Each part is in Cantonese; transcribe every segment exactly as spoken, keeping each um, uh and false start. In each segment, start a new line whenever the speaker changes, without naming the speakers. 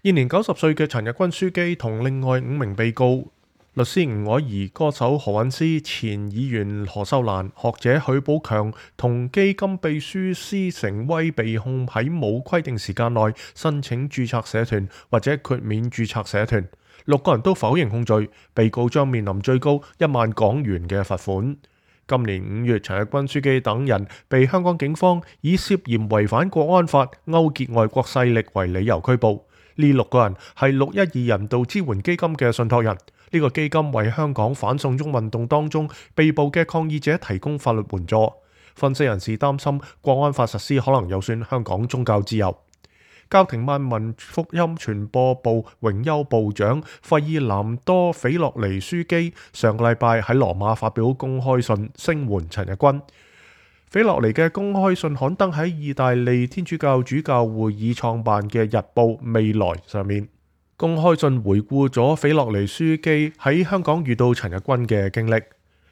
現年九十歲嘅陳日君樞機同另外五名被告，律師吳靄儀、歌手何韻詩、前議員何秀蘭、學者許寶強同基金秘書施成威被控喺冇規定時間內申請註冊社團或者豁免註冊社團，六個人都否認控罪，被告將面臨最高一萬港元嘅罰款。今年五月，陳日君樞機等人被香港警方以涉嫌違反國安法、勾結外國勢力為理由拘捕。呢六個人係六一二人道支援基金嘅信託人，呢、這個基金為香港反送中運動當中被捕嘅抗議者提供法律援助。分析人士擔心國安法實施可能有損香港宗教自由。教廷萬民福音傳播部榮休部長費爾南多·斐洛尼樞機上個禮拜喺羅馬發表公開信聲援陳日君。斐洛尼嘅公開信刊登喺意大利天主教主教會議創辦嘅日報《未來》上面。公開信回顧咗斐洛尼樞機喺香港遇到陳日君嘅經歷。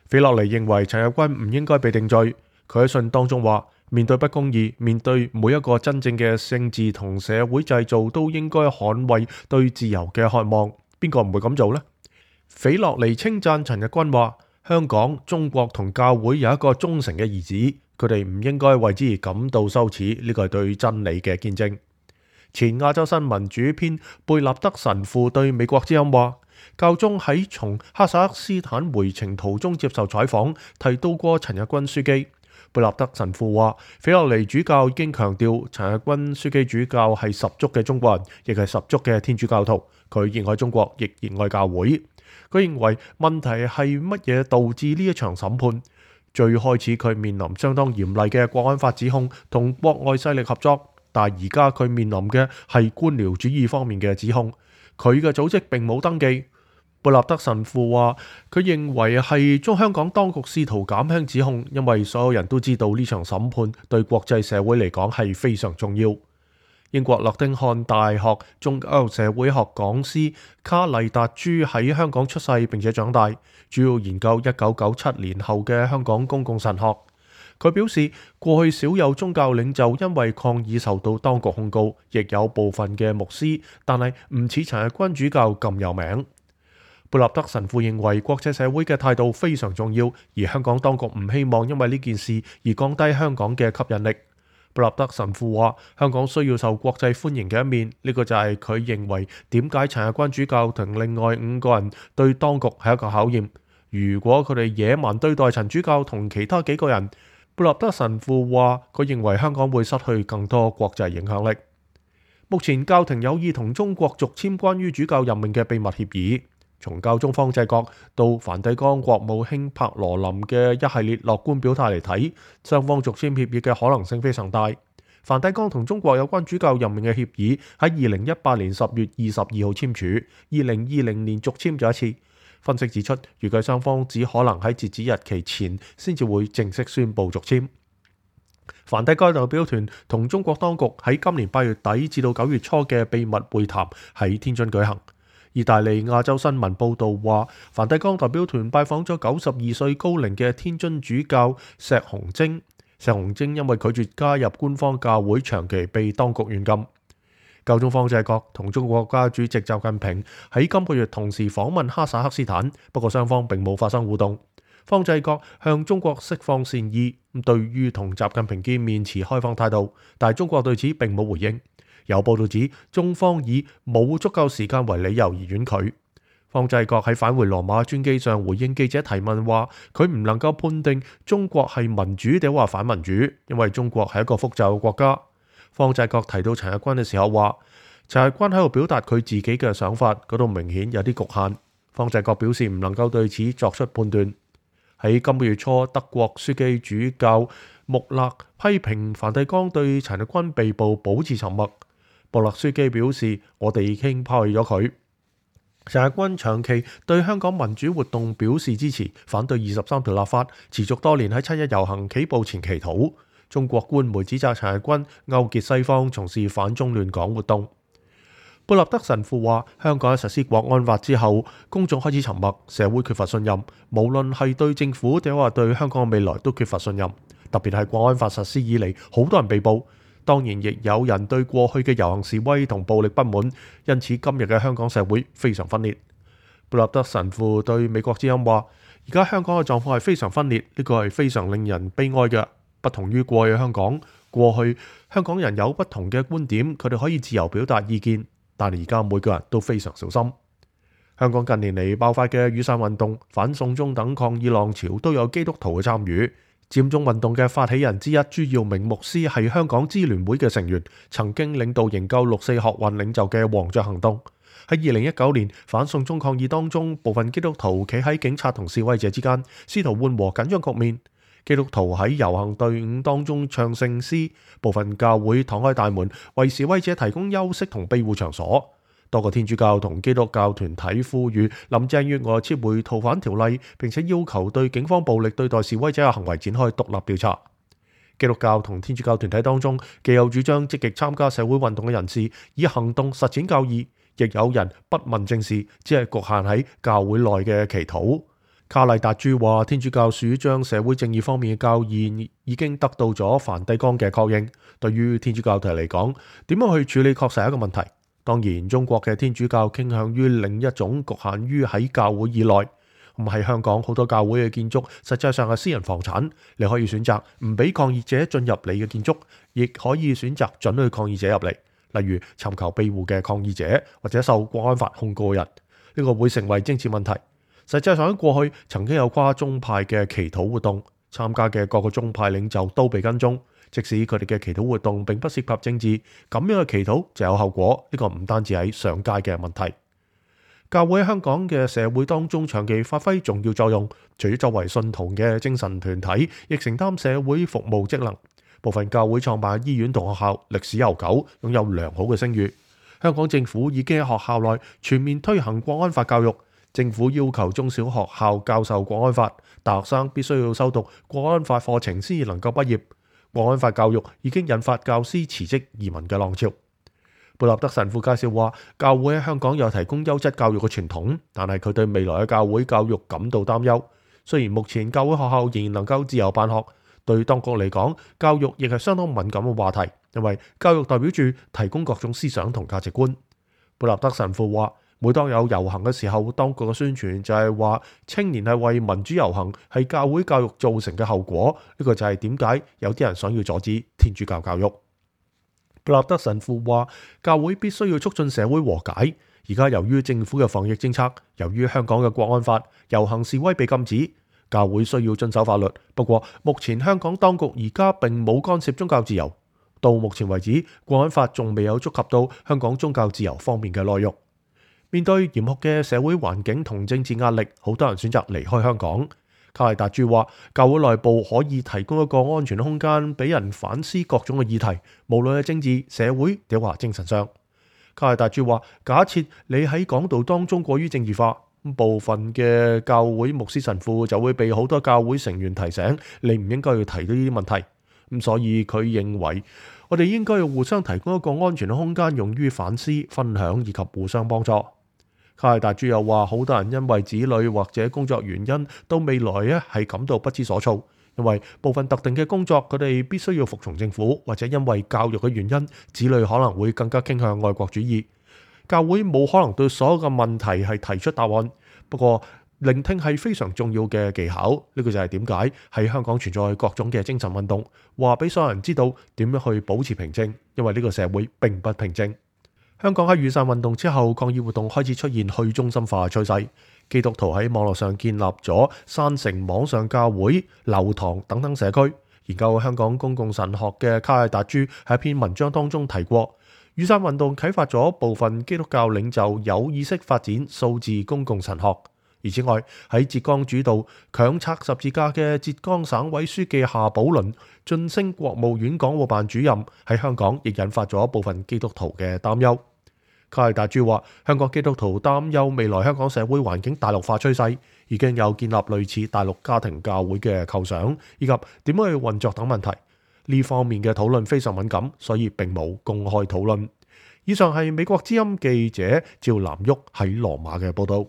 斐洛尼認為陳日君唔應該被定罪。佢喺信當中話：面對不公義，面對每一個真正嘅政治同社會製造，都應該捍衛對自由嘅渴望。邊個唔會咁做呢？斐洛尼稱讚陳日君話：香港、中國同教會有一個忠誠嘅兒子，佢哋唔應該為之而感到羞恥。呢個係對真理嘅見證。前亞洲新聞主編貝納德神父對美國之音話：教宗喺從哈薩克斯坦回程途中接受採訪，提到過陳日君樞機。貝納德神父話：斐洛尼主教已經強調陳日君樞機主教係十足嘅中國人，亦係十足嘅天主教徒。佢熱愛中國，亦熱愛教會。佢認為問題係乜嘢導致呢一場審判？最開始佢面臨相當嚴厲嘅國安法指控，同國外勢力合作，但而家佢面臨嘅係官僚主義方面嘅指控。佢嘅組織並冇登記。貝納德神父話：佢認為係中香港當局試圖減輕指控，因為所有人都知道呢場審判對國際社會嚟講係非常重要。英國諾丁漢大學宗教社會學講師卡麗達朱喺香港出世並且長大，主要研究一九九七年後嘅香港公共神學。佢表示，過去少有宗教領袖因為抗議受到當局控告，亦有部分嘅牧師，但係唔似陳日君主教咁有名。貝納德神父認為國際社會嘅態度非常重要，而香港當局唔希望因為呢件事而降低香港嘅吸引力。貝納德神父話：香港需要受國際歡迎嘅一面，呢個就係佢認為點解陳日君主教同另外五個人對當局係一個考驗。如果佢哋野蠻對待陳主教同其他幾個人，貝納德神父話佢認為香港會失去更多國際影響力。目前教廷有意同中國續簽關於主教任命嘅秘密協議。從教宗方濟各到梵蒂岡國務卿帕羅林嘅一系列樂觀表態嚟睇，雙方續簽協議嘅可能性非常大。梵蒂岡同中國有關主教任命嘅協議喺二零一八年十月二十二號簽署，二零二零年續簽咗一次。分析指出，預計雙方只可能喺截止日期前先至會正式宣布續簽。梵蒂岡代表團同中國當局喺今年八月底至到九月初嘅秘密會談喺天津舉行。意大利亞洲新聞報導話，梵蒂岡代表團拜訪咗九十二歲高齡嘅天津主教石洪晶。石洪晶因為拒絕加入官方教會，長期被當局軟禁。教宗方濟各同中國國家主席習近平喺今個月同時訪問哈薩克斯坦，不過雙方並冇發生互動。方濟各向中國釋放善意，對於同習近平見面持開放態度，但係中國對此並冇回應。有報道指，中方以冇足夠時間為理由而婉拒。方濟各喺返回羅馬專機上回應記者提問話，佢唔能夠判定中國係民主定話反民主，因為中國係一個複雜嘅國家。方濟各提到陳日君嘅時候話，陳日君喺度表達佢自己嘅想法，嗰度明顯有啲局限。方濟各表示唔能夠對此作出判斷。喺今個月初，德國樞機主教穆勒批評梵蒂岡對陳日君被捕保持沉默。穆勒樞機表示：我哋已經拋棄咗佢。陳日君長期對香港民主活動表示支持，反對二十三條立法，持續多年喺七一遊行起步前祈禱。中國官媒指責陳日君勾結西方，從事反中亂港活動。貝納德神父話：香港喺實施國安法之後，公眾開始沉默，社會缺乏信任，無論係對政府定話對香港嘅未來都缺乏信任。特別係國安法實施以嚟，好多人被捕。當然亦有人對過去嘅遊行示威同暴力不滿，因此今日嘅香港社會非常分裂。布納德神父對美國之音話：而家香港嘅狀況係非常分裂，呢個係非常令人悲哀嘅。不同於過去香港，過去香港人有不同嘅觀點，佢哋可以自由表達意見，但係而家每個人都非常小心。香港近年嚟爆發嘅雨傘運動、反送中等抗議浪潮都有基督徒嘅參與。佔中運動嘅發起人之一朱耀明牧師係香港支聯會嘅成員，曾經領導營救六四學運領袖嘅黃雀行動。喺二零一九年反送中抗議當中，部分基督徒企喺警察同示威者之間，試圖緩和緊張局面。基督徒喺遊行隊伍當中唱聖詩，部分教會敞開大門，為示威者提供休息同庇護場所。多個天主教同基督教團體呼籲林鄭月娥撤回逃犯條例，並且要求對警方暴力對待示威者嘅行為展開獨立調查。基督教同天主教團體當中，既有主張積極參加社會運動嘅人士，以行動實踐教義，亦有人不問政事，只係局限喺教會內嘅祈禱。卡麗達珠話：天主教主張社會正義方面嘅教義已經得到咗梵蒂岡嘅確認。對於天主教徒嚟講，點樣去處理確實係一個問題。當然，中國嘅天主教傾向於另一種局限於喺教會以內。唔係香港好多教會嘅建築，實際上係私人房產。你可以選擇唔俾抗議者進入你嘅建築，亦可以選擇准許抗議者入嚟。例如尋求庇護嘅抗議者，或者受國安法控告嘅人，呢個會成為政治問題。實際上喺過去曾經有跨宗派嘅祈禱活動，參加嘅各個宗派領袖都被跟蹤。即使佢哋嘅祈禱活動並不涉及政治，咁樣嘅祈禱就有後果。呢個唔單止喺上街嘅問題。教會喺香港嘅社會當中長期發揮重要作用，除咗作為信徒嘅精神團體，亦承擔社會服務職能。部分教會創辦醫院同學校歷史悠久，擁有良好嘅聲譽。香港政府已經喺學校內全面推行國安法教育。政府要求中小學校教授國安法，大學生必須要修讀國安法課程先至能夠畢業。國安法教育已經引發教師辭職移民嘅浪潮。布納德神父介紹話，教會喺香港有提供優質教育嘅傳統，但係佢對未來嘅教會教育感到擔憂。雖然目前教會學校仍然能夠自由辦學，對當局嚟講，教育亦係相當敏感嘅話題，因為教育代表住提供各種思想同價值觀。布納德神父話，每當有遊行嘅時候，當局嘅宣傳就係話青年係為民主遊行，係教會教育造成嘅後果。呢個就係點解有啲人想要阻止天主教教育。布納德神父話，教會必須要促進社會和解。而家由於政府嘅防疫政策，由於香港嘅國安法，遊行示威被禁止，教會需要遵守法律。不過目前香港當局而家並冇干涉宗教自由。到目前為止，國安法仲未有觸及到香港宗教自由方面嘅內容。面對嚴酷嘅社會環境同政治壓力，好多人選擇離開香港。卡麗達珠話，教會內部可以提供一個安全嘅空間，俾人反思各種嘅議題，無論係政治、社會，定話精神上。卡麗達珠話，假設你喺講道當中過於政治化，部分嘅教會牧師神父就會被好多教會成員提醒，你唔應該要提到呢啲問題。咁所以佢認為，我哋應該要互相提供一個安全嘅空間，用於反思、分享以及互相幫助。卡麗達珠又話，好多人因為子女或者工作原因，到未來咧係感到不知所措，因為部分特定嘅工作佢哋必須要服從政府，或者因為教育嘅原因，子女可能會更加傾向愛國主義。教會冇可能對所有嘅問題係提出答案，不過聆聽係非常重要嘅技巧。呢個就係點解喺香港存在各種嘅精神運動，話俾所有人知道點樣去保持平靜，因為呢個社會並不平靜。香港喺雨傘運動之後，抗議活動開始出現去中心化嘅趨勢。基督徒喺網絡上建立咗山城網上教會、流堂等等社區。研究香港公共神學嘅卡麗達珠喺一篇文章當中提過，雨傘運動啟發咗部分基督教領袖有意識發展數字公共神學。而此外，喺浙江主導強拆十字架嘅浙江省委書記夏寶麟晉升國務院港澳辦主任，喺香港亦引發咗部分基督徒嘅擔憂。卡麗達珠話，香港基督徒擔憂未來香港社會環境大陸化趨勢，已經有建立類似大陸家庭教會嘅構想，以及點樣去運作等問題。呢方面嘅討論非常敏感，所以並冇公開討論。以上係美國之音記者趙南旭喺羅馬嘅報道。